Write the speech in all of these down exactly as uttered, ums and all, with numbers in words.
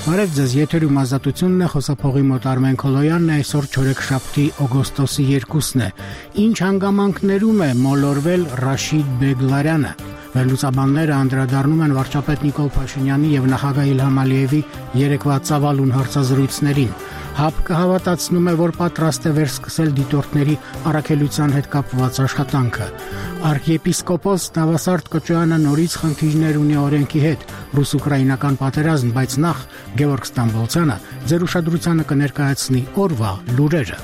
Բարև ձեզ, եթերում ազատությունն է, խոսափողի մոտ Արմեն Քոլոյանն է, այսօր չորեքշաբթի օգոստոսի երկուսն է։ Ինչ հանգամանքներում է մոլորվել Ռաշիդ Բեգլարյանը։ Վերլուծաբանները անդրադառնում են վարչապետ Նիկոլ Փաշինյանի եւ նախագահ Իլհամ Ալիևի երեկվա ծավալուն հարցազրույցներին։ ՀԱՊԿ-ը հավատացնում է, որ պատրաստ է վերսկսել դիտորդների առաքելության հետ կապված աշխատանքը։ Արքիեպիսկոպոս Նավասարդ Կոչոյանը նորից խնդիրներ ունի օրենքի հետ, ռուս-ուկրաինական պատերազմ, բայց նախ Գևորգ Ստամբոլցյանը ձեր ուշադրությանը կներկայացնի օրվա լուրերը։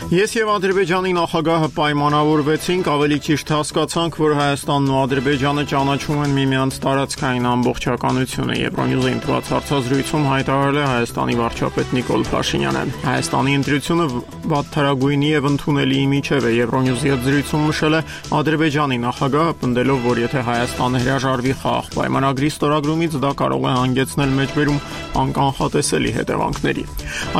Ես եւ Ադրբեջանի նախագահը պայմանավորվեցինք, ավելի ճիշտ հասկացանք, որ Հայաստանն ու Ադրբեջանը ճանաչում են միմյանց տարածքային ամբողջականությունը։ Եվրոնյուզի ընտրված հարցազրույցում հայտարարել է Հայաստանի վարչապետ Նիկոլ Փաշինյանը։ Հայաստանի ընտրությունը վատթարագույնի եւ ընդունելի միջև է, Եվրոնյուզի հետ զրույցում նշել է Ադրբեջանի նախագահը, պնդելով, որ եթե Հայաստանը հրաժարվի խաղաղ պայմանագրի ստորագրումից, դա կարող է հանգեցնել մեջբերում անկանխատեսելի հետևանքների։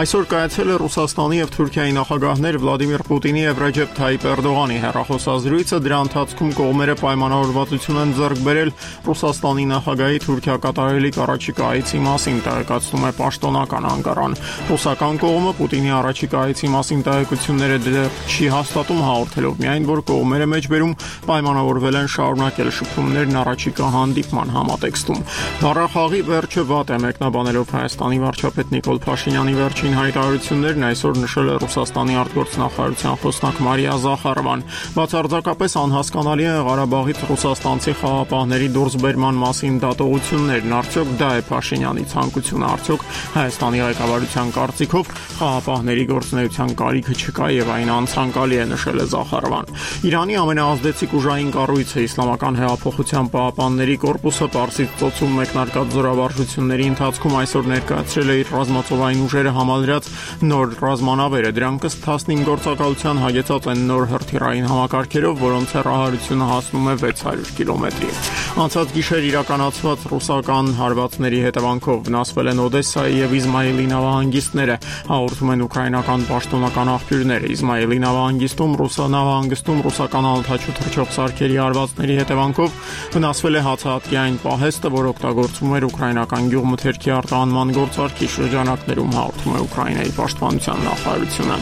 Այսօր կայացել է Ռուսաստանի եւ Թուրքիայի նախագահներ Վլադիմիր Պուտինի եւ Ռեջեփ Թայիպ Էրդողանի հեռախոսազրույցը, դրա ընթացքում կողմերը պայմանավորվածություն են ձեռք բերել Ռուսաստանի նախագահի Թուրքիա կատարելիք առաջիկա այցի մասին, տեղեկացնում է պաշտոնական անկարան։ Ռուսական կողմը Պուտինի առաջիկա այցի մասին տեղեկությունները դեռ չի հաստատում, հաղորդելով միայն, որ կողմերը մեջբերում պայմանավորվել են շարունակել շփումներն առաջիկա հանդիպման համատեքստում։ Բառախաղի վերջը վատ է, մեկնաբանելով Հայաստանի վարչապետ Նիկոլ Փաշինյանի վերջին հայտարարություններն, այսօր նշել է Ռուսաստանի արտգործնախարարության խոսնակ Մարիա Զախարովան։ Բացարձակապես անհասկանալի է Ղարաբաղից ռուսաստանցի խաղապահների դուրսբերման մասին դատողություններն, արդյոք դա է Փաշինյանի ցանկությունը, արդյոք Հայաստանի ղեկավարության կարծիքով խաղապահների գործունեության կարիքը չկա եւ այն անցանկալի է, նշել է Զախարովան։ Իրանի ամենաազդեցիկ ուժային կառույցը Իսլամական հեղափոխության պահապանների կորպուսը Պարսից ծոցում մեկնարկած զորավարժությունների ընթացքում այսօր ներկայացրել է իր ռազմածովային ուժերը համալրած նոր ռազմանավերը։ Դրանք ըստ տասնհինգ գործակալության հագեցած են նոր հրթիռային համակարգերով, որոնց հեռահարությունը հասնում է վեց հարյուր կիլոմետրի։ Անցած գիշեր իրականացված ռուսական հարվածների հետևանքով վնասվել են Օդեսայի եւ Իզմայիլի նավահանգիստները, հաղորդում են ուկրաինական պաշտոնական աղբյուրները։ Իզմայիլի նավահանգիստում ռուսանավահանգստում ռուսական ալթաչու թռչող սարքերի հարվածների հետևանքով վնասվել է հացահատկային պահեստը, որ օգտագործվում էր ուկրաինական գյուղմթերքի արտահանման գործարքի շրջանակներում, հաղորդում է Ուկրաինայի պաշտպանության նախարարությունը։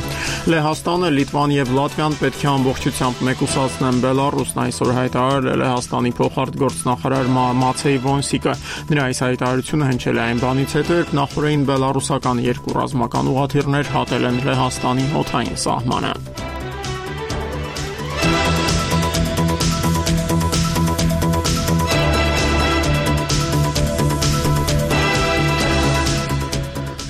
Լեհաստանը, Լիտվան եւ Լատվիան պետք է ամբողջությամբ մեկուսացնեն Բելարուսն, այսօր հայտարարել է Լեհաստանի փոխարտգործնախարար Մացեյ Վոնսիկը։ Նրա այս հայտարարությունը հնչել է այն բանից հետո, երբ նախորդին բելարուսական երկու ռազմական ուղղաթիռներ հատել են Լեհաստանի օդային սահմանը։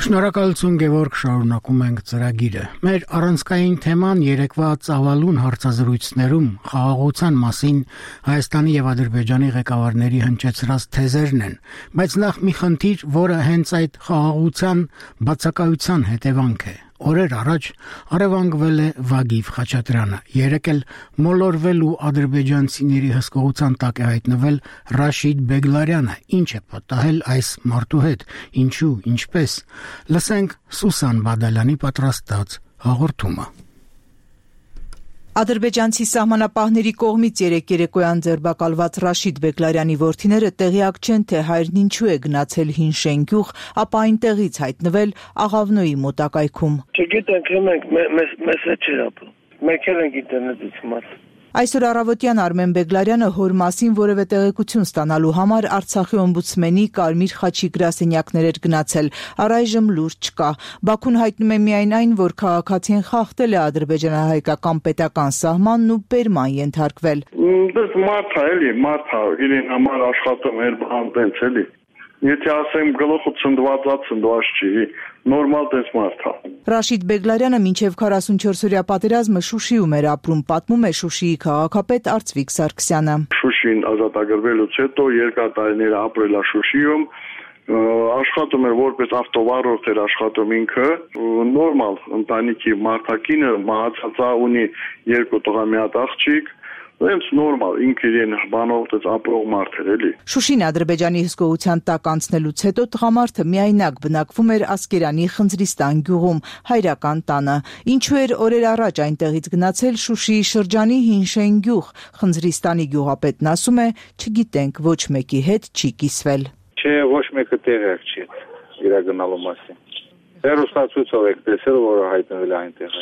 Շնորհակալություն Գևորգ, շարունակում ենք ծրագիրը։ Մեր առանցքային թեման երեկվա ծավալուն հարցազրույցներում խաղաղության մասին Հայաստանի եւ Ադրբեջանի ղեկավարների հնչեցրած թեզերն են, բայց նախ մի խնդիր, որը հենց այդ խաղաղության բացակայության հետևանք է։ Օրեր առաջ առևանգվել է Վագիվ Խաչատրյանը, երեկ էլ մոլորվել ու ադրբեջանցիների հսկողության տակ է հայտնվել Ռաշիդ Բեգլարյանը, ինչ է պատահել այս մարդու հետ, ինչու, ինչպես։ Լսենք Սուսան Բադալյանի պատրաստած հաղորդումը։ Ադրբեջանցի սահմանապահների կողմից երեկ երեկոյան ձերբակալված Ռաշիդ Բեգլարյանի որդիները տեղյակ չեն, թե հայրն ինչու է գնացել հին շենգյուղ, ապա այնտեղից հայտնվել Աղավնոյի մոտակայքում։ Չգիտենք, մենք մեզ հետ չէր ապրում, մենք էլ ենք ինտերնետից իմացել։ Այսօր առավոտյան Արմեն Բեգլարյանը հոր մասին որևէ տեղեկություն ստանալու համար Արցախի օմբուդսմենի Կարմիր խաչի գրասենյակներ էր գնացել, առայժմ լուր չկա։ Բաքուն հայտնում է միայն այն, որ քաղաքացին խախտել է ադրբեջանահայկական պետական սահմանն ու բերման ենթարկվել։ Դες մարդ է, էլի, մարդ է, իրեն համար աշխատում էր բան տենց էլի։ Եթե ասեմ գլուխը ցնդվածա ցնդված չի, նորմալ դες մարդ է։ Ռաշիդ Բեգլարյանը մինչև քառասունչորսօրյա պատերազմը Շուշիում էր ապրում, պատմում է Շուշիի քաղաքապետ Արծվիկ Սարգսյանը։ Շուշին ազատագրվելուց հետո երկար տարիներ ապրել է Շուշիում, աշխատում էր որպես ավտովարորդ էր աշխատում ինքը, նորմալ ընտանիքի մարդակինը մահացած է, ունի երկու տղա մի հատ աղջիկ, Հենց նորմալ ինքը իրեն բանով դες ապրող մարդ էր էլի։ Շուշին Ադրբեջանի հսկողության տակ անցնելուց հետո տղամարդը միայնակ բնակվում էր Ասկերանի Խնձրիստան գյուղում, հայրական տանը։ Ինչու էր օրեր առաջ այնտեղից գնացել Շուշիի շրջանի Հինշեն գյուղ։ Խնձրիստանի գյուղապետն ասում է, չգիտենք, ոչ մեկի հետ չի կիսվել։ Չէ, ոչ մեկը տեղյակ չի իր գնալու մասին։ Հերոստացույցով եք տեսել, որը հայտնվել է այնտեղ։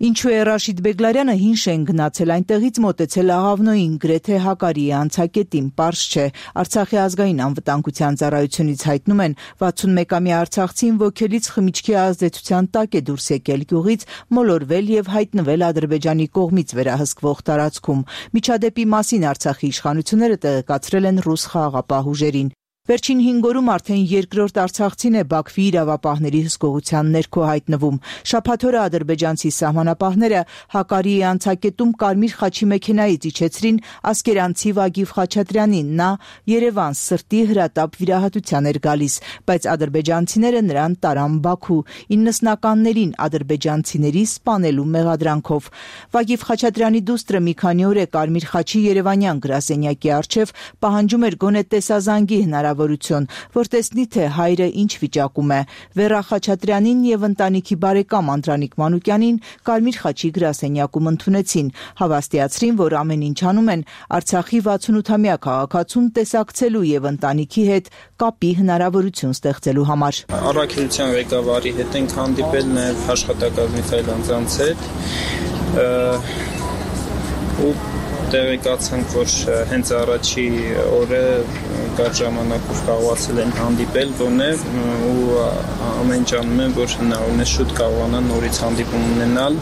Ինչու է Ռաշիդ Բեգլարյանը Հինշեն գնացել այնտեղից մոտեցել Աղավնոյին, գրեթե հակարիի անցակետին, պարզ չէ։ Արցախի ազգային անվտանգության ծառայությունից հայտնում են, վաթսունմեկամյա արցախցին ոգելից խմիչքի ազդեցության տակ է դուրս եկել գյուղից, մոլորվել եւ հայտնվել Ադրբեջանի կողմից վերահսկվող տարածքում։ Միջադեպի մասին Արցախի իշխանությունները տեղեկացրել են ռուս խաղաղապահ ուժերին։ Վերջին հինգ օրում արդեն երկրորդ արցախցին է Բաքվի իրավապահների հսկողության ներքո հայտնվում։ Շաբաթ օրը ադրբեջանցի սահմանապահները Հակարիի անցակետում Կարմիր խաչի մեքենայից իջեցրին ասկերանցի Վագիվ Խաչատրյանին։ Նա Երևան սրտի հրատապ վիրահատության էր գալիս, բայց ադրբեջանցիները նրան տարան Բաքու իննսնականներին ադրբեջանցիների սպանելու մեղադրանքով։ Վագիվ Խաչատրյանի դուստրը մի քանի օր է Կարմիր խաչի երևանյան գրասենյակի առջև պահանջում էր գոնե տեսազանգի հնարավորություն, որ տեսնի, թե հայրը ինչ վիճակում է։ Վերա Խաչատրյանին եւ ընտանիքի բարեկամ Անդրանիկ Մանուկյանին Կարմիր խաչի գրասենյակում ընդունեցին, հավաստիացրին, որ ամեն ինչ անում են Արցախի վաթսունութամյա քաղաքացուն տեսակցելու եւ ընտանիքի հետ կապի հնարավորություն ստեղծելու համար։ Առաքելության ղեկավարի հետ ենք հանդիպել, նաեւ աշխատակազմի այլ անձանց հետ ու տեղեկացանք, որ հենց առաջի օրը կար ժամանակով կարողացել են հանդիպել գոնե ու ամեն ջանում են, որ հնարավորին է շուտ կարողանան նորից հանդիպում ունենալ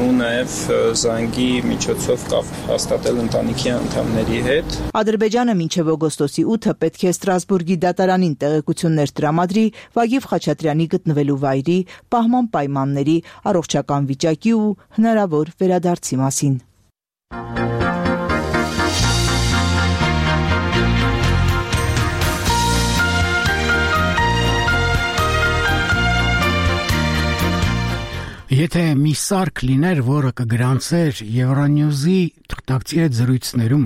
ու նաև զանգի միջոցով կապ հաստատել ընտանիքի անդամների հետ։ Ադրբեջանը մինչև օգոստոսի ութը պետք է Ստրասբուրգի դատարանին տեղեկություններ տրամադրի Վագիվ Խաչատրյանի գտնվելու վայրի, պահման պայմանների, առողջական վիճակի ու հնարավոր վերադարձի մասին։ Եթե մի սարք լիներ, որը կգրանցեր Euronews-ի թղթակցի հետ զրույցներում,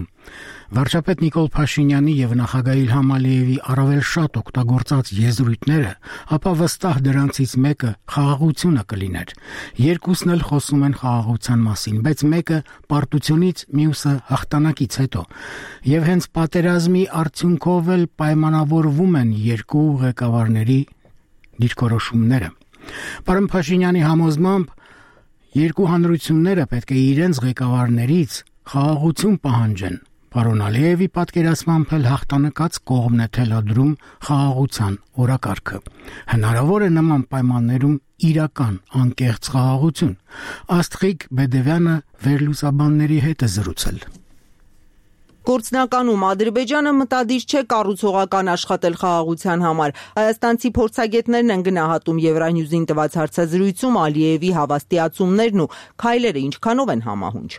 վարչապետ Նիկոլ Փաշինյանի եւ նախագահ Իլհամ Ալիևի առավել շատ օգտագործած եզրույթները, ապա վստահ դրանցից մեկը խաղաղությունը կլիներ։ Երկուսն էլ խոսում են խաղաղության մասին, բայց մեկը պարտությունից, մյուսը հաղթանակից հետո։ Եվ հենց պատերազմի արդյունքով էլ պայմանավորվում են երկու ղեկավարների դիրքորոշումները։ Պարոն Փաշինյանի համոզմամբ երկու հանրությունները պետք է իրենց ղեկավարներից խաղաղություն պահանջեն։ Պարոն Ալիևի պատկերացմամբ էլ հաղթանակած կողմն է թելադրում խաղաղության օրակարգը։ Հնարավոր է նման պայմաններում իրական անկեղծ խաղաղություն։ Աստղիկ Բեդևյանը վերլուծաբանների հետ է զրուցել։ Գործնականում Ադրբեջանը մտադիր չէ կառուցողական աշխատել խաղաղության համար։ Հայաստանցի փորձագետներն են գնահատում Euronews-ին տված հարցազրույցում Ալիևի հավաստիացումներն ու քայլերը ինչքանով են համահունչ։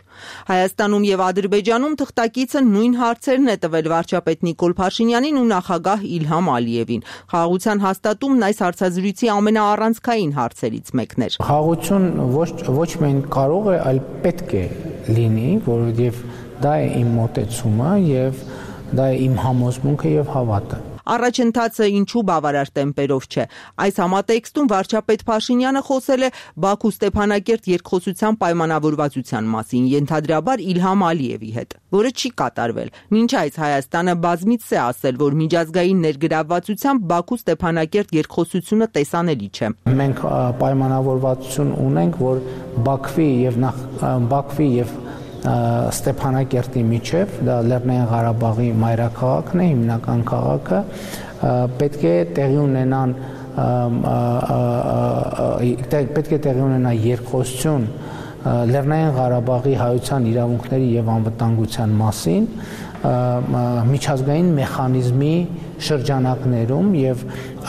Հայաստանում եւ Ադրբեջանում թղթակիցը նույն հարցերն է տվել վարչապետ Նիկոլ Փաշինյանին ու նախագահ Իլհամ Ալիևին։ Խաղաղության հաստատումն այս հարցազրույցի ամենաառանցքային հարցերից մեկն էր։ Խաղաղություն ոչ ոչ միայն կարող է, այլ պետք է լինի, որովհետեւ դա է իմ մոտեցումը եւ դա է իմ համոզմունքը եւ հավատը։ Առաջընթացը ինչու բավարար տեմպերով չէ։ Այս համատեքստում վարչապետ Փաշինյանը խոսել է Բաքու-Ստեփանակերտ երկխոսության պայմանավորվածության մասին, ենթադրաբար Իլհամ Ալիևի հետ, որը չի կատարվել։ Մինչ այս Հայաստանը բազմիցս է ասել, որ միջազգային ներգրավվածությամբ Բաքու-Ստեփանակերտ երկխոսությունը տեսանելի չէ։ Մենք պայմանավորվածություն ունենք, որ Բաքվի եւ նախ Բաքվի եւ Ստեփանակերտի միջև, դա Լեռնային Ղարաբաղի մայրաքաղաքն է, հիմնական քաղաքը, պետք է տեղի ունենան պետք է տեղի ունենա երկխոսություն Լեռնային Ղարաբաղի հայության իրավունքների եւ անվտանգության մասին միջազգային մեխանիզմի շրջանակներում եւ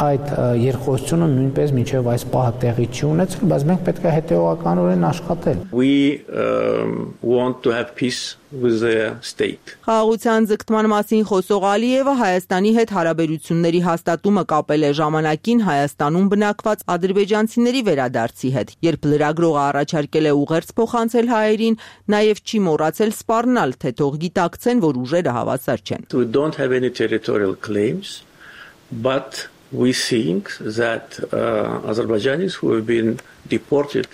այդ երկխոսությունը նույնպես մինչեւ այս պահը տեղի չի ունեցել, բայց մենք պետք է հետեւականորեն աշխատել. We um, want to have peace with their state. Խաղաղության ձգտման մասին խոսող Ալիևը Հայաստանի հետ հարաբերությունների հաստատումը կապել է ժամանակին Հայաստանում բնակված ադրբեջանցիների վերադարձի հետ, երբ լրագրողը առաջարկել է ուղերձ փոխանցել հայերին, նաև չի մոռացել սպառնալ, թե թող գիտակցեն, որ ուժերը հավասար չեն. We don't have any territorial claims, but we think that uh, Azerbaijanis who have been deported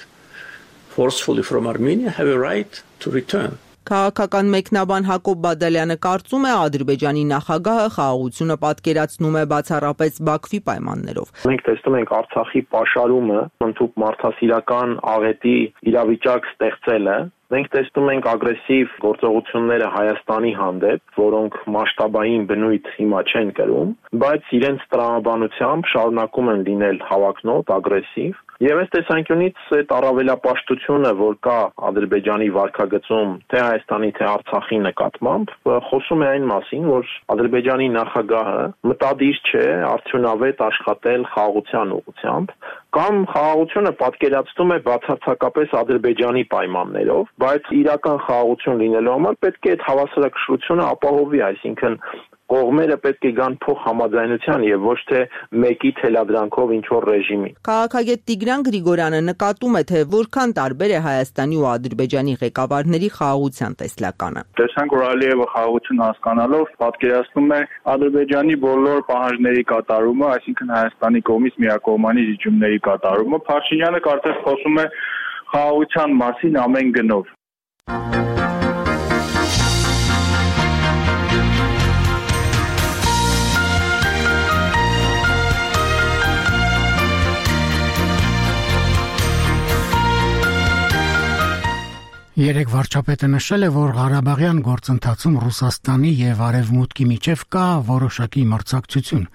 forcefully from Armenia have a right to return. Քաղաքական մեկնաբան Հակոբ Բադալյանը կարծում է Ադրբեջանի նախագահը խաղաղությունը պատկերացնում է բացառապես Բաքվի պայմաններով։ Մենք տեսնում ենք Արցախի պաշարումը, ընդհանուր մարդասիրական աղետի իրավիճակ ստեղծելը։ Մենք տեսնում ենք ագրեսիվ գործողությունները Հայաստանի հանդեպ, որոնք մասշտաբային բնույթ հիմա չեն կրում, բայց իրենց տրամաբանությամբ շարունակում են լինել հավակնոտ, ագրեսիվ։ Եվ այս տեսանկյունից այդ առավելապաշտությունը, որ կա Ադրբեջանի վարքագծում թե Հայաստանի, թե Արցախի նկատմամբ, խոսում է այն մասին, որ Ադրբեջանի նախագահը մտադիր չէ արդյունավետ աշխատել խաղաղության ուղղությամբ, կամ խաղաղությունը պատկերացնում է բացարձակապես Ադրբեջանի պայմաններով, բայց իրական խաղաղություն լինելու համար պետք է այդ հավասարակշռությունը ապահովի, այսինքն կողմերը պետք է գան փոխհամաձայնության եւ ոչ թե մեկի թելադրանքով ինչ որ ռեժիմի։ Քաղաքագետ Տիգրան Գրիգորյանը նկատում է, թե որքան տարբեր է Հայաստանի ու Ադրբեջանի ղեկավարների խաղաղության տեսլականը։ Տեսանք, որ Ալիևը խաղաղություն հասկանալով պատկերացնում է Ադրբեջանի բոլոր պահանջների կատարումը, այսինքն Հայաստանի կողմից միակողմանի զիջումների կատարումը։ Փաշինյանը կարծես խոսում է խաղաղության մասին ամեն գնով։ Երեք վարչապետը նշել է, որ Ղարաբաղյան գործընթացում Ռուսաստանի եւ Արևմուտքի միջև կա որոշակի մրցակցություն,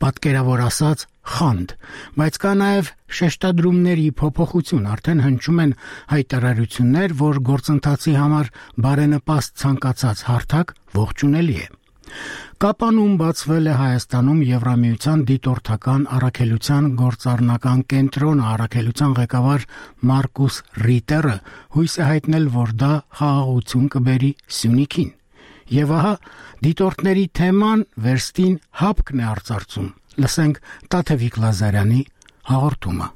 պատկերավոր ասած խանդ, բայց կա նաեւ շեշտադրումների փոփոխություն, արդեն հնչում են հայտարարություններ, որ գործընթացի համար բարենպաստ ցանկացած հարթակ ողջունելի է։ Կապանուն բացվել է Հայաստանում Եվրամիության դիտորդական առաքելության գործառնական կենտրոնը, առաքելության ղեկավար Մարկուս Ռիտերը հույս է հայտնել, որ դա խաղաղություն կբերի Սյունիքին։ Եվ ահա դիտորդների թեման վերստին հապկն է արծարծում։ Լսենք Տաթևիկ Լազարյանի հաղորդումը։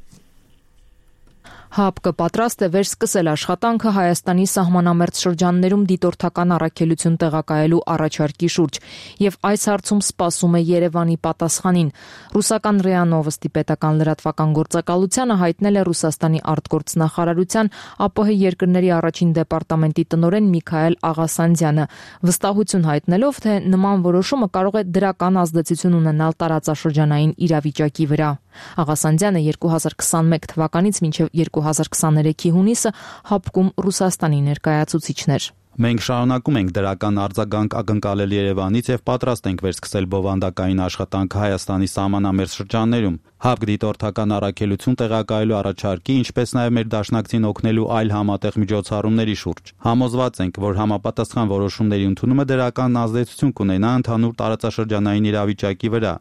ՀԱՊԿ պատրաստ է վերսկսել աշխատանքը Հայաստանի սահմանամերձ շրջաններում դիտորդական առաքելություն տեղակայելու առաջարկի շուրջ եւ այս հարցում սպասում է Երևանի պատասխանին։ Ռուսական ՌԻԱ Նովոստի պետական լրատվական գործակալությանը հայտնել է Ռուսաստանի արտգործնախարարության ԱՊՀ երկրների առաջին դեպարտամենտի տնօրեն Միքայել Աղասանդյանը, վստահություն հայտնելով, թե նման որոշումը կարող է դրական ազդեցություն ունենալ տարածաշրջանային իրավիճակի վրա։ Աղասանդյանը երկու հազար քսանմեկ թվականից մինչև երկու հազար քսաներեքի հունիսը ՀԱՊԿ-ում Ռուսաստանի ներկայացուցիչն էր։ Մենք շարունակում ենք դրական արձագանք ակնկալել Երևանից եւ պատրաստ ենք վերսկսել բովանդակային աշխատանք Հայաստանի սահմանամերձ շրջաններում։ ՀԱՊԿ դիտորդական առաքելություն տեղակայելու առաջարկի, ինչպես նաեւ մեր դաշնակցին օգնելու այլ համատեղ միջոցառումների շուրջ։ Համոզված ենք, որ համապատասխան որոշումների ընդունումը դրական ազդեցություն կունենա ընդհանուր տարածաշրջանային իրավիճակի վրա։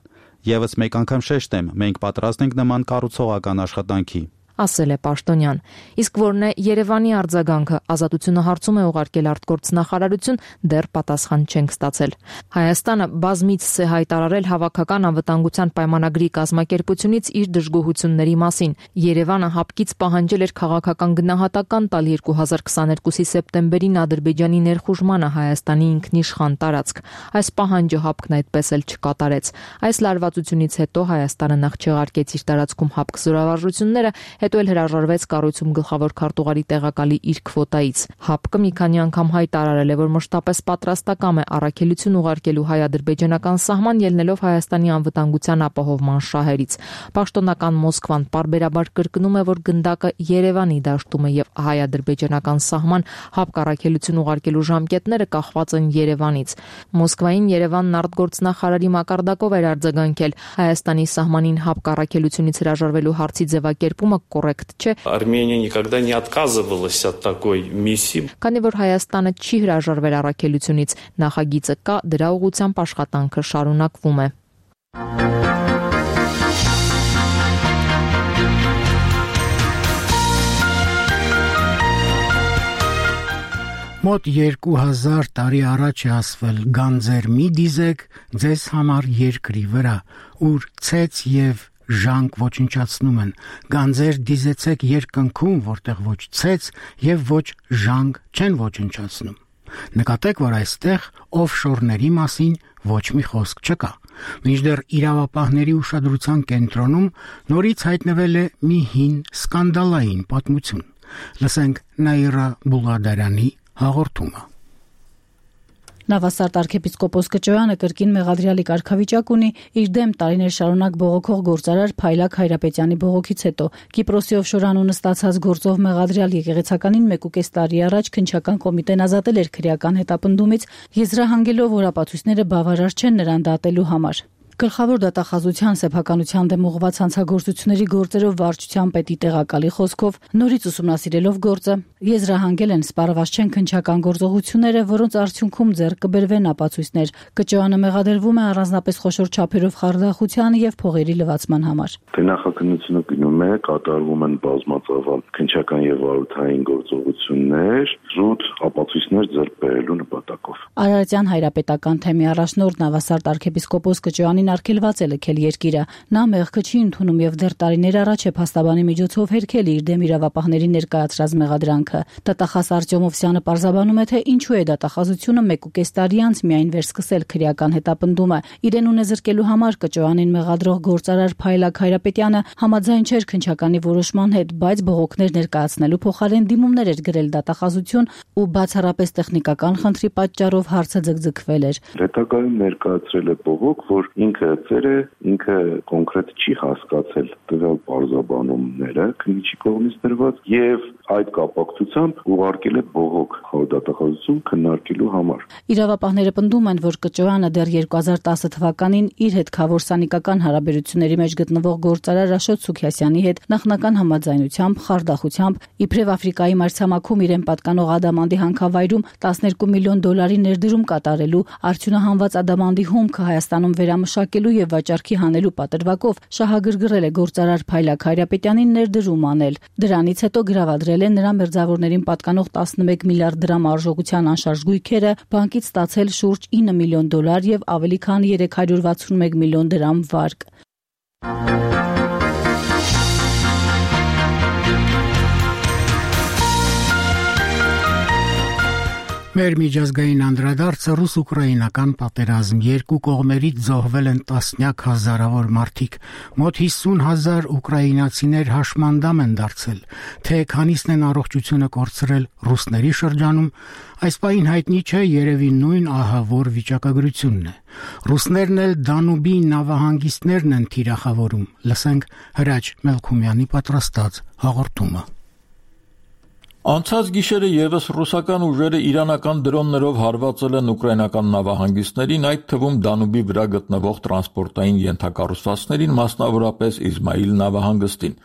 Եվս մեկ անգամ շեշտեմ, մենք պատրաստ ենք նման կառուցողական աշխատանքի, ասել է Պաշտոնյան։ Իսկ որն է Երևանի արձագանքը, Ազատությունը հարցում է ուղարկել արտգործնախարարություն, դեռ պատասխան չենք ստացել։ Հայաստանը բազմիցս է հայտարարել հավաքական անվտանգության պայմանագրի կազմակերպությունից իր դժգոհությունների մասին։ Երևանը ՀԱՊԿ-ից պահանջել էր քաղաքական գնահատական տալ երկու հազար քսաներկուսի սեպտեմբերին Ադրբեջանի ներխուժմանը Հայաստանի ինքնիշխան տարածք։ Այս պահանջը ՀԱՊԿ-ն այդպես էլ չկատարեց։ Այս լարվածությունից հետո Հայաստանը նախ չեղարկեց իր տարածքում ՀԱՊԿ զորավարժությունները, հետո էլ հրաժարվեց կառույցում գլխավոր քարտուղարի տեղակալի իր քվոտայից։ ՀԱՊԿ-ը մի քանի անգամ հայտարարել է, որ մշտապես պատրաստակամ է առաքելություն ուղարկելու հայ-ադրբեջանական սահման, ելնելով Հայաստանի անվտանգության ապահովման շահերից։ Պաշտոնական Մոսկվան պարբերաբար կրկնում է, որ գնդակը Երևանի դաշտում է եւ հայ-ադրբեջանական սահման ՀԱՊԿ առաքելություն ուղարկելու ժամկետները կախված են Երևանից։ Մոսկվային Երևանն արտգործնախարարի մակարդակով էր արձագանքել Հայաստանի սահմանին ՀԱՊԿ առաքելությունից հրաժարվելու հարցի ձևակերպումը կոռեկտ չէ։ Армения никогда не отказывалась от такой миссии. Քանի որ Հայաստանը չի հրաժարվել առաքելությունից, նախագիծը կա, դրա ուղղությամբ աշխատանքը շարունակվում է։ Մոտ երկու հազար տարի առաջ է ասվել գանձեր մի դիզեք ձեզ համար երկրի վրա, ուր ցեց եւ ժանկ ոչնչացնում են, գանձեր դիզեցեք երկնքում, որտեղ ոչ ցեց եւ ոչ ժանկ չեն ոչնչացնում։ Նկատեք, որ այստեղ օֆշորների մասին ոչ մի խոսք չկա։ Մինչդեռ իրավապահների ուշադրության կենտրոնում նորից հայտնվել է մի հին սկանդալային պատմություն։ Լսենք Նաիրա Բուլղադարյանի հաղորդումը։ Նավասարդ arczepiskopos Կճոյանը կրկին մեղադրյալի կարգավիճակ ունի իր դեմ տարիներ շարունակ բողոքող գործարար Փայլակ Հայրապետյանի բողոքից հետո։ Կիպրոսի օֆշոր անունը ստացած գործով մեղադրյալ եկեղեցականին մեկ ու կես տարի առաջ քննչական կոմիտեն ազատել էր քրեական հետապնդումից, եզրահանգելով, որ ապացույցները բավարար չեն նրան դատելու համար։ Գլխավոր դատախազության սեփականության դեմ ուղղված հանցագործությունների գործերով վարչության պետի տեղակալի խոսքով նորից ուսումնասիրելով գործը եզրահանգել են սպառված չեն քննչական գործողությունները, որոնց արդյունքում ձեռք կբերվեն ապացույցներ։ Կճոյանը մեղադրվում է առանձնապես խոշոր չափերով խարդախության եւ փողերի լվացման համար։ Նախաքննությունը գնում է, կատարվում են բազմածավալ քննչական եւ վարորդային գործողություններ, զուտ ապացույցներ ձեռք բերելու նպատակով։ Արարատյան հայրապետական թեմի առաջնորդ Նավասարդ arczepiskopos Կճոյանին արգելված է լքել երկիրը։ Նա մեղքը չի ընդունում եւ դեռ տարիներ առաջ է փաստաբանի միջոցով հերքել իր դեմ իրավապահների ներկայացրած մեղադրանքը։ Դատախազ Արտյոմ Օվսյանը պարզաբանում է, թե ինչու է դատախազությունը մեկ ու կես տարի անց միայն վերսկսել քրեական հետապնդումը։ Իրեն ունեզրկելու համար Կճոյանին մեղադրող գործարար Փայլակ Հայրապետյանը համաձայն չէր քննչականի որոշման հետ, բայց բողոքներ ներկայացնելու փոխարեն դիմումներ էր գրել դատախազություն ու բացառապես տեխնիկական խնդրի պատճառով հարցը ձգձգվել էր։ Հետագայում ներկայացրել է բողոք, որ ինքը ծեր է, ինքը կոնկրետ չի հասկացել տվյալ պարզաբանումները քննիչի կողմից դրված եւ այդ կապակցությամբ ուղարկել է բողոք խորհրդատախազություն քննարկելու համար։ Իրավապահները պնդում են, որ Կճոյանը դեռ երկու հազար տասը թվականին իր հետ քավորսանիկական հարաբերությունների մեջ գտնվող գործարար Աշոտ Սուքիասյանի հետ նախնական համաձայնությամբ, խարդախությամբ, իբրև Աֆրիկայի մայրցամաքում իրեն պատկանող ադամանդի հանքավայրում տասներկու միլիոն դոլարի ներդրում կատարելու, արդյունահանված ադամանդի հումքը Հայաստանում վերամշակելու եւ վաճառքի հանելու պատրվակով շահագրգռել է գործարար Փայլակ Հայրապետյանին ներդրում անել։ Դրանից հետո գրավադրել են նրա մերձավորներին պատկանող տասնմեկ միլիարդ դրամ արժողության անշարժ գույքերը, բանկից ստացել շուրջ ինը միլիոն դոլար եւ ավելի քան երեք հարյուր վաթսունմեկ միլիոն դրամ վարկ։ Մեր միջազգային անդրադարձը ռուս-ուկրաինական պատերազմ։ Երկու կողմերից զոհվել են տասնյակ հազարավոր մարդիկ։ Մոտ հիսուն հազար ուկրաինացիներ հաշմանդամ են դարձել։ Թե քանիսն են առողջությունը կորցրել ռուսների շրջանում, այս պահին հայտնի չէ, երևի նույն ահավոր վիճակագրությունն է։ Ռուսներն էլ Դանուբի նավահանգիստներն են թիրախավորում։ Լսենք Հրաչ Մելքումյանի պատրաստած հաղորդումը։ Անցած գիշերը եւս ռուսական ուժերը իրանական դրոններով հարվածել են ուկրաինական նավահանգիստներին, այդ թվում Դանուբի վրա գտնվող տրանսպորտային ենթակառուցվածքներին, մասնավորապես Իզմայիլ նավահանգստին։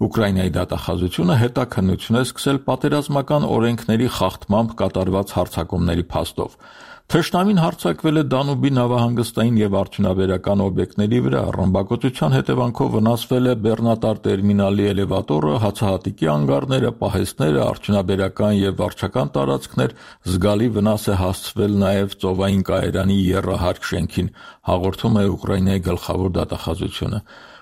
Ուկրաինայի դատախազությունը հետաքննություն է սկսել պատերազմական օրենքների խախտմամբ կատարված հարձակումների փաստով։ Թշնամին հարձակվել է Դանուբի նավահանգստային եւ արդյունաբերական օբյեկտների վրա, ռմբակոծության հետևանքով վնասվել է բեռնատար տերմինալի էլևատորը, հացահատիկի անգարները, պահեստները, արդյունաբերական եւ վարչական տարածքներ, զգալի վնաս է հասցվել նաեւ ծովային կայարանի եռահարկ շենքին, հաղորդում է Ուկրաինայի գլխավոր դատախազությունը։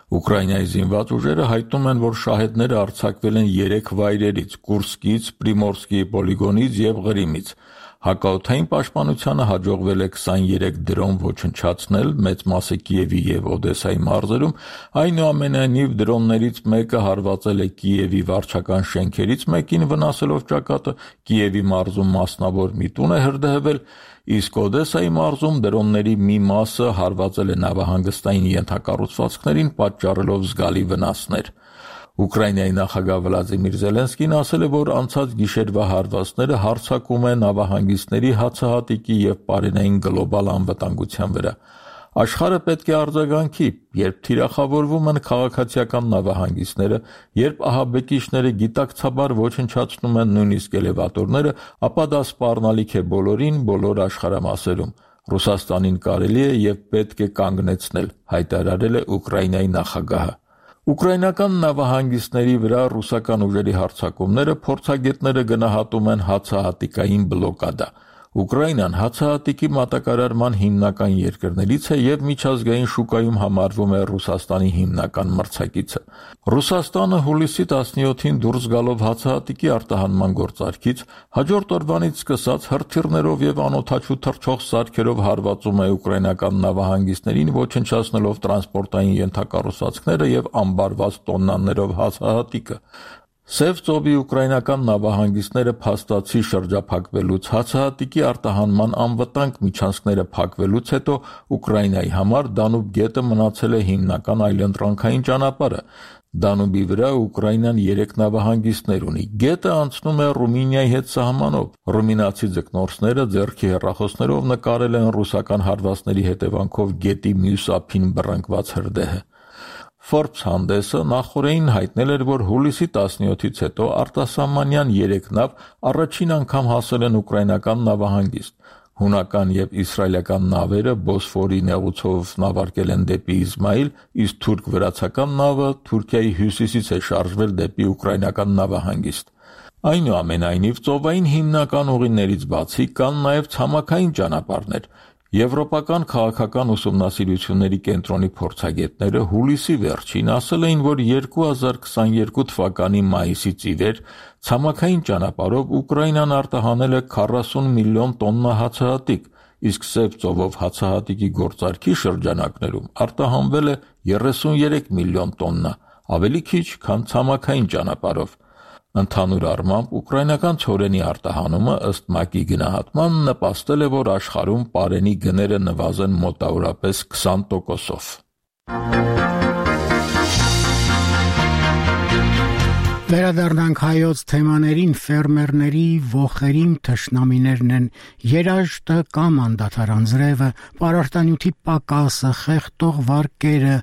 Ուկրաինայի զինված ուժերը հայտնում են, որ շահեդները արձակվել են երեք վայրերից՝ Կուրսկից, Պրիմորսկի պոլիգոնից եւ Ղրիմից։ Հակաօդային պաշտպանությանը հաջողվել է քսաներեք դրոն ոչնչացնել, մեծ մասը Կիևի եւ Օդեսայի մարզերում, այնուամենայնիվ դրոններից մեկը հարվածել է Կիևի վարչական շենքերից մեկին, վնասելով ճակատը, Կիևի մարզում մասնավոր մի տուն է հրդեհվել, իսկ Օդեսայի մարզում դրոնների մի մասը հարվածել է նավահանգստային ենթակառուցվածքներին, պատճառելով զգալի վնասներ։ Ուկրաինայի նախագահ Վլադիմիր Զելենսկին ասել է, որ անցած գիշերվա հարվածները հարձակում է նավահանգիստների հացահատիկի եւ պարենային գլոբալ անվտանգության վրա։ Աշխարհը պետք է արձագանքի, երբ թիրախավորվում են քաղաքացիական նավահանգիստները, երբ ահաբեկիչները գիտակցաբար ոչնչացնում են նույնիսկ էլևատորները, ապա դա սպառնալիք է բոլորին, բոլոր աշխարհամասերում։ Ռուսաստանին կարելի է եւ պետք է կանգնեցնել, հայտարարել է Ուկրաինայի նախագահը։ Ուկրաինական նավահանգիստների վրա ռուսական ուժերի հարձակումները փորձագետները գնահատում են հացահատիկային բլոկադա։ Ուկրաինան հացահատիկի մատակարարման հիմնական երկրներից է եւ միջազգային շուկայում համարվում է Ռուսաստանի հիմնական մրցակիցը։ Ռուսաստանը հուլիսի տասնյոթին դուրս գալով հացահատիկի արտահանման գործարքից հաջորդ օրվանից սկսած հրթիռներով եւ անօդաչու թռչող սարքերով հարվածում է ուկրաինական նավահանգիստներին, ոչնչացնելով տրանսպորտային ենթակառուցվածքները եւ ամբարված տոննաներով հացահատիկը։ Սև ծովի ուկրաինական նավահանգիստները փաստացի շրջափակվելուց, հացահատիկի արտահանման անվտանգ միջանցքները փակվելուց հետո Ուկրաինայի համար Դանուբ գետը մնացել է հիմնական այլընտրանքային ճանապարհը։ Դանուբի վրա Ուկրաինան երեք նավահանգիստներ ունի։ Գետը անցնում է Ռումինիայի հետ սահմանով։ Ռումինացի ձկնորսները ձեռքի հեռախոսներով նկարել են ռուսական հարվածների հետևանքով գետի մյուս ափին բռնկված հրդեհը։ Forbes հանդեսը նախորդին հայտնել էր, որ հուլիսի տասնյոթից հետո արտասահմանյան երեք նավ առաջին անգամ հասել են ուկրաինական նավահանգիստ։ Հունական եւ իսրայելական նավերը Բոսֆորի նեղուցով նավարկել են դեպի Իզմայիլ, իսկ թուրք-վրացական նավը Թուրքիայի հյուսիսից է շարժվել դեպի ուկրաինական նավահանգիստ։ Այնուամենայնիվ, ծովային հիմնական ուղիներից բացի կան նաեւ ցամաքային ճանապարհներ։ Եվրոպական քաղաքական ուսումնասիրությունների կենտրոնի փորձագետները հուլիսի վերջին ասել էին, որ երկու հազար քսաներկու թվականի մայիսից ի վեր ցամաքային ճանապարհով Ուկրաինան արտահանել է քառասուն միլիոն տոննա հացահատիկ, իսկ Սև ծովով հացահատիկի գործարքի շրջանակներում արտահանվել է երեսունյերեք միլիոն տոննա, ավելի քիչ, քան ցամաքային ճանապարհով։ Ընդհանուր առմամբ ուկրաինական ցորենի արտահանումը ըստ ՄԱԿ-ի գնահատման նպաստել է, որ աշխարհում պարենի գները նվազեն մոտավորապես քսան տոկոսով։ Վերադառնանք հայոց թեմաներին, ֆերմերների ողերին թշնամիներն են երաշտը կամ անդադար անձրևը, պարարտանյութի պակասը, խեղդող վարկերը,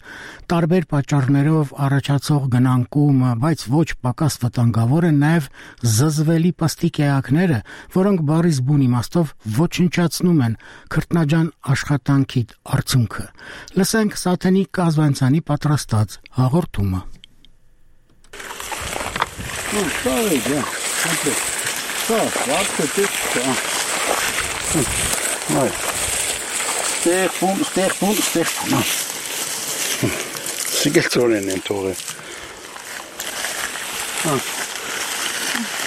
տարբեր պատճառներով առաջացող գնանկումը, բայց ոչ պակաս վտանգավոր են նաև զզվելի պստիկ էակները, որոնք բառից բուն իմաստով ոչնչացնում են քրտնաջան աշխատանքի արդյունքը։ Լսենք Սաթենիկ Կազվանցյանի պատրաստած հաղորդումը։ Ну, ставай, да, смотри. Так, сладко, ты что? Ой. Стех, пун, стех, пун, стех, пун. Սիգելցորեն են թողել։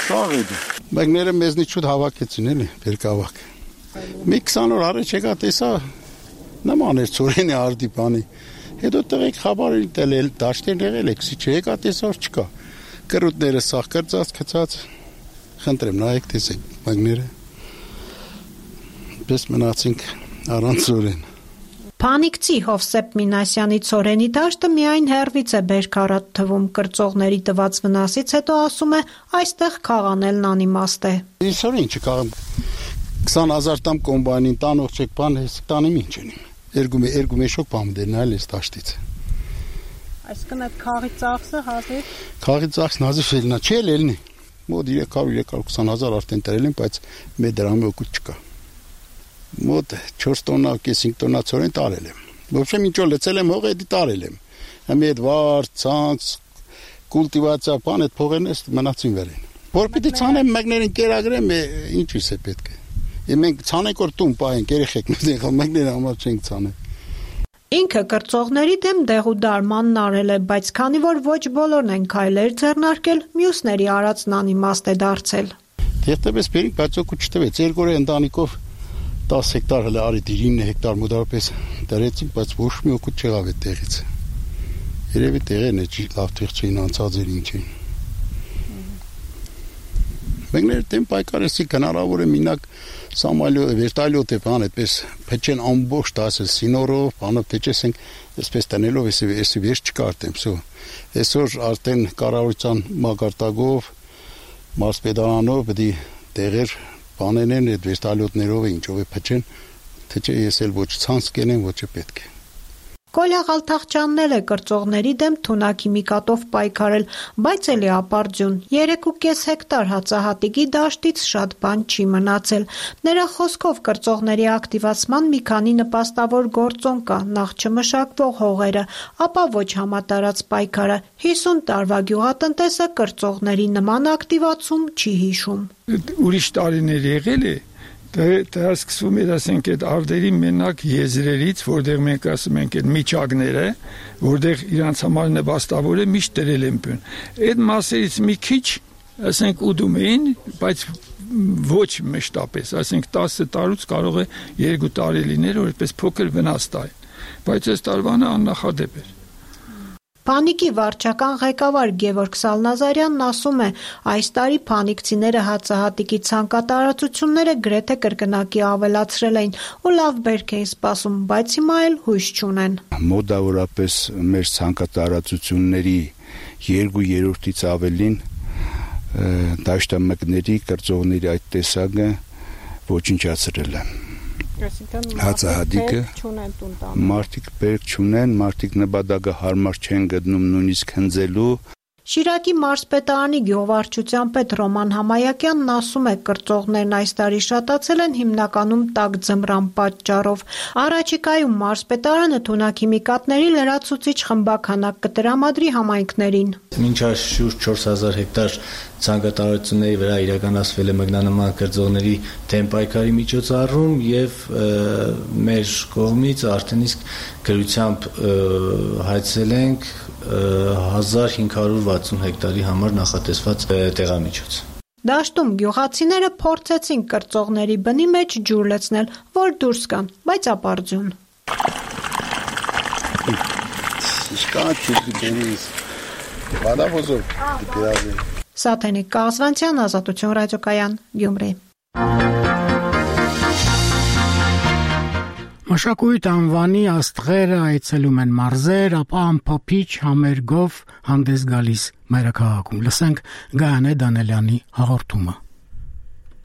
Շաղեդ։ Մեկները մեզնից շուտ հավաքեցին էլի, բերկավակ։ Մի քսան օր առաջ եկա տեսա նման էր ծորենի արդի բանի։ Հետո տղեկ խաբարին տելել, դաշտեն եղել եք, սի չեկա տեսա որ չկա։ Կրուտները սաղ կրծած, կծած, խնդրեմ, նայեք տեսեք, մագները, պես մնացինք առանց ծորեն։ Փանիկցի Հովսեփ Մինասյանի ծորենի դաշտը միայն հեռվից է բերքարատ թվում, կրծողների տված վնասից հետո ասում է, այստեղ քաղանելն անիմաստ է։ Իսօր ինչ կաղամ, քսան հազար տամ կոմբայնին տանող չեք բան, ես տանիմ ինչ ենիմ, երգում է, երգում է շոք բամ դեր նայել ես դաշտից։ Այսինքն այդ քաղի ծախսը հազիվ Քաղի ծախսն հազիվ ելնա, չի ելնի։ Մոտ երեք հարյուր երեք հարյուր քսան հազար արդեն տրել են, բայց մեր դրամի օգուտ չկա։ Մոտ չորս տոննա, կես-հինգ տոննա ծորեն տարել եմ։ Ոբշե ինչ որ լցել եմ հողը, դա տարել եմ։ Համի այդ վար, ցանց, կուլտիվացիա, բան այդ փողերն էս մնացին վերին։ Որ պիտի ցանեմ մագներին կերագրեմ, ինչի՞ս է պետք է։ Մենք ցանենք որ տուն պահենք, երեխեք մենք մագները համար չենք ցանել։ Ինքը կրծողների դեմ դեղուդարմանն արել է, բայց քանի որ ոչ բոլորն են քայլեր ձեռնարկել, մյուսների արածն անիմաստ է դարձել։ Դերտեպես բերին, բայց օգուտ չտվեց, երկու օր ընտանիքով դաս հեկտար հələ արի ինը հեկտար մոտավորապես դրեցին, բայց ոչ մի օգուտ չեղավ այդ տեղից։ Երևի տեղերն է լավ տեղ չէին անցած էր ինչ էին։ Մեկներ դեմ պայքարեցի հնարավոր է մինակ Սամալյո վերտալյոտ է բան այդպես փեչեն ամբողջ դասել սինորով, բանով փեչեսենք այսպես տնելով էսի էսի վերջ չկարտեմ, սո։ Այսօր արդեն կառավարության մակարդակով մարսպետարանով պետք է տեղեր բանենեն այդ վերտալյոտներով ինչով է փեչեն, թե չէ ես էլ ոչ ցանց կենեմ, ոչ է պետք է։ Կոլյա Ղալթախճյանն էլ է կրծողների դեմ թունաքիմիկատով պայքարել, բայց էլի ապարդյուն, երեք ու կես հեկտար հացահատիկի դաշտից շատ բան չի մնացել։ Նրա խոսքով կրծողների ակտիվացման մի քանի նպաստավոր գործոն կա, նախ չմշակվող հողերը, ապա ոչ համատարած պայքարը, հիսուն տարվա գյուղատնտեսը կրծողների նման ակտիվացում չի հիշում։ Ուրիշ տարիներ եղել է Դա սկսվում էր, ասենք, այդ արդերի մենակ եզրերից, որտեղ մենք ասում ենք այդ միջակները, որտեղ իրանց համար նպաստավոր է միշտ դրել են բուն։ Այդ մասերից մի քիչ, ասենք, ուդում էին, բայց ոչ մշտապես, ասենք, տասը տարուց կարող է երկու տարի լինել, որ այդպես փոքր վնաս տային, բայց այս տարվանը աննախադեպ էր։ Փանիկի վարչական ղեկավար Գևորգ Սալնազարյանն ասում է, այս տարի փանիկցիները հացահատիկի ցանկատարածությունները գրեթե կրկնակի ավելացրել էին ու լավ բերք էին սպասում, բայց հիմա էլ հույս չունեն։ Մոտավորապես մեր ցանկատարածությունների երկու երրորդից ավելին դաշտամկների կրծողների այդ տեսակը ոչնչացրել են։ Հացահատիկը մարդիկ բերք չունեն, մարդիկ նպատակը հարմար չեն գտնում նույնիսկ հնձելու։ Շիրակի մարզպետարանի գյուղվարչության պետ Ռոման Համայակյանն ասում է, կրծողներն այս տարի շատացել են հիմնականում տաք ձմռան պատճառով։ Առաջիկայում մարզպետարանը թունաքիմիկատների լրացուցիչ խմբաքանակ կտրամադրի համայնքներին։ Մինչ այս շուրջ չորս հազար հեկտար ցանկատարությունների վրա իրականացվել է մգնանման կրծողների դեմ պայքարի միջոցառում եւ մեր կողմից արդեն իսկ գրությամբ հայցել ենք հազար հինգ հարյուր վաթսուն հեկտարի համար նախատեսված տեղամիջոց։ Դաշտում գյուղացիները փորձեցին կրծողների բնի մեջ ջուր լցնել, որ դուրս գան, բայց ապարդյուն։ Սաթենիկ Կազվանցյան, Ազատություն ռադիոկայան, Գյումրի։ Մշակույթ անվանի աստղերը այցելում են մարզեր, ապա ամփոփիչ համերգով հանդես գալիս մայրաքաղաքում։ Լսենք Գայանե Դանելյանի հաղորդումը։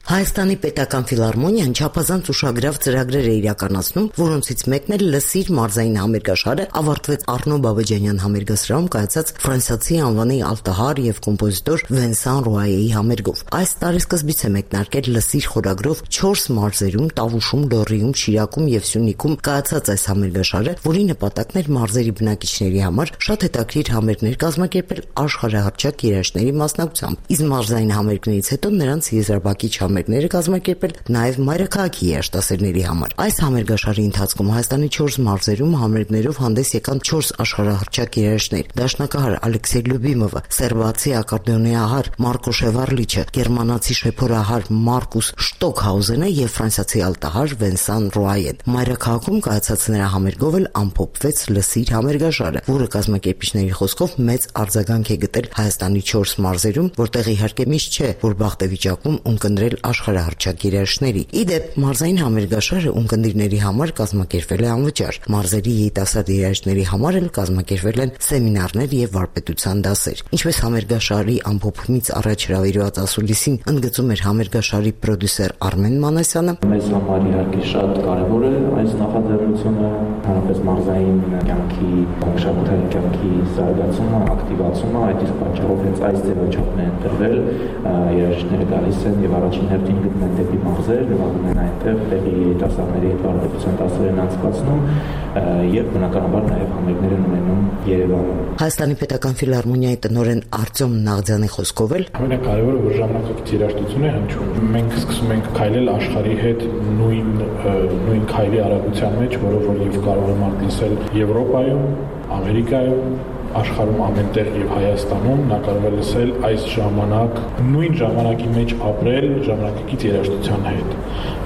Հայաստանի պետական ֆիլհարմոնիան չափազանց ուշագրավ ծրագրեր է իրականացնում, որոնցից մեկն էլ Լսիր մարզային համերգաշարը ավարտվեց Առնո Բաբաջանյան համերգասրահում կայացած ֆրանսիացի անվանի ալտահար եւ կոմպոզիտոր Վենսան Ռուայեի համերգով։ Այս տարեսկզբից է մեկնարկել Լսիր խորագրով չորս մարզերում՝ Տավուշում, Լոռիում, Շիրակում եւ Սյունիքում կայացած այս համերգաշարը, որի նպատակն էր մարզերի բնակիչների համար շատ հետաքրքիր համերգներ կազմակերպել աշխարհահռչակ երաժիշտների մասնակցությամբ։ Իսկ մարզային համերգներից հետո նրանց եզրաբակիչ համերգները կազմակերպել նաև մայրաքաղաքի երաժշտասերների համար։ Այս համերգաշարի ընթացքում Հայաստանի չորս մարզերում համերգներով հանդես եկան չորս աշխարհահռչակ երաժիշտներ՝ դաշնակահար Ալեքսեյ Լյուբիմովը, սերբացի ակորդեոնահար Մարկո Շևարլիչը, գերմանացի շեփորահար Մարկուս Շտոքհաուզենը եւ ֆրանսիացի ալտահար Վենսան Ռուայեն։ Մայրաքաղաքում կայացած նրա համերգով էլ ամփոփվեց Լսիր համերգաշարը, որը կազմակերպիչների խոսքով մեծ արձագանք է գտել Հայաստանի չորս մարզերում, որտեղ իհարկե միշտ չէ, որ բախտեվիճակում ունկնդրել աշխարհահռչակ երաժիշտների։ Իդեպ մարզային համերգաշարը ունկնդիրների համար կազմակերպվել է անվճար։ Մարզերի երիտասարդ երաժիշտների համար էլ կազմակերպվել են սեմինարներ եւ վարպետության դասեր։ Ինչպես համերգաշարի ամփոփումից առաջ հրավիրված ասուլիսին ընդգծում էր համերգաշարի պրոդյուսեր Արմեն Մանասյանը, մեզ համար իհարկե շատ կարևոր է այս նախաձեռնությունը, հանրապես մարզային կյանքի, մշակութային կյանքի զարգացումը, ակտիվացումը, այդ իսկ պատճառով հենց այս ձևաչափն է ընտրվել, երաժիշտները գալիս են եւ առաջին հերթին գտնեն դեպի մարզեր, նվագում են այնտեղ, տեղի երիտասարդների հետ վարպետության դասեր են անցկացնում եւ բնականաբար նաեւ համերգներ են ունենում Երևանում։ Հայաստանի պետական ֆիլհարմոնիայի տնօրեն Արտյոմ Նաղձյանի խոսքով էլ ամենակարևորը որ ժամանակակից երաժշտություն է հնչում։ Մենք սկսում ենք քայլել աշխարհի հետ նույն նույն քայլի արագության մեջ, որով որ եւ կարող է մարդ լսել Եվրոպայում, Ամերիկայում, աշխարհում ամենտեղ եւ Հայաստանում նա կարող է լսել այս ժամանակ նույն ժամանակի մեջ ապրել ժամանակակից երաժշտության հետ։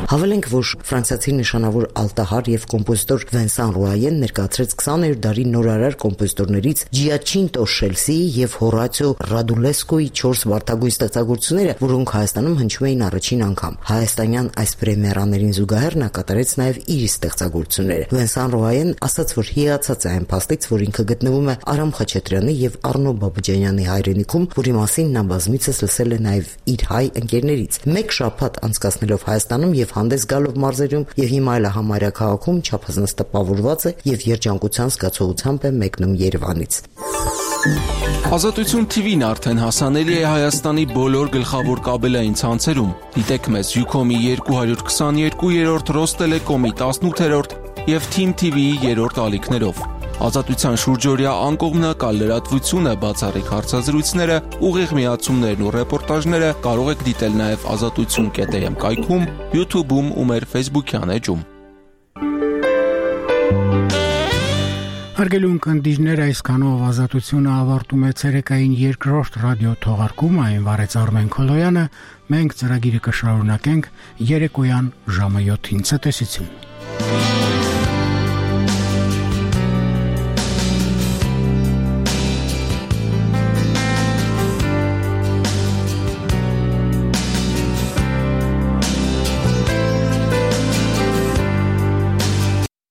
Հավելենք, որ ֆրանսիացի նշանավոր ալտահար եւ կոմպոզիտոր Վենսան Ռուայեն ներկայացրեց քսաներորդ դարի նորարար կոմպոզիտորներից Ջիաչինտո Շելսիի եւ Հորացիո Ռադուլեսկոյի չորս վարդագույն ստեղծագործությունները, որոնք Հայաստանում հնչում էին առաջին անգամ։ Հայաստանյան այս պրեմիերաներին զուգահեռ նա կատարեց նաեւ իր ստեղծագործությունները։ Վենսան Ռուայեն ասաց, որ հիացած է այն փաստից, որ ինքը գտնվում է Արամ Խաչատրյանի եւ Առնո Բաբաջանյանի հայրենիքում, որի մասին նա բազմիցս լսել է նաեւ իր հայ ընկերներից։ Մեկ շաբաթ անցկացնելով Հայաստանում եւ հանդես գալով մարզերում եւ հիմա էլ համարյա քաղաքում չափազանց տպավորված է եւ երջանկության զգացողությամբ է մեկնում Երևանից։ Ազատություն Թի Վին արդեն հասանելի է Հայաստանի բոլոր գլխավոր կաբելային ցանցերում։ Դիտեք մեզ Յուքոմի երկու քսաներկու, Ռոստելեկոմի տասնութ եւ Թիմ Թի Վիի երրորդ ալիքներով։ Ազատության շուրջօրյա անկողմնակալ լրատվությունը, բացառիկ հարցազրույցները, ուղիղ միացումներն ու ռեպորտաժները կարող եք դիտել նաեւ ազատություն կետ էմ կայքում, YouTube-ում ու մեր Facebook-յան էջում։ Հարգելի ունկնդիրներ, այսքանով ազատությունը ավարտում է ցերեկային երկրորդ ռադիո թողարկումը, այն վարեց Արմեն Քոլոյանը, մենք ծրագիրը կշարունակենք երեկոյան ժամը յոթին ցտեսություն։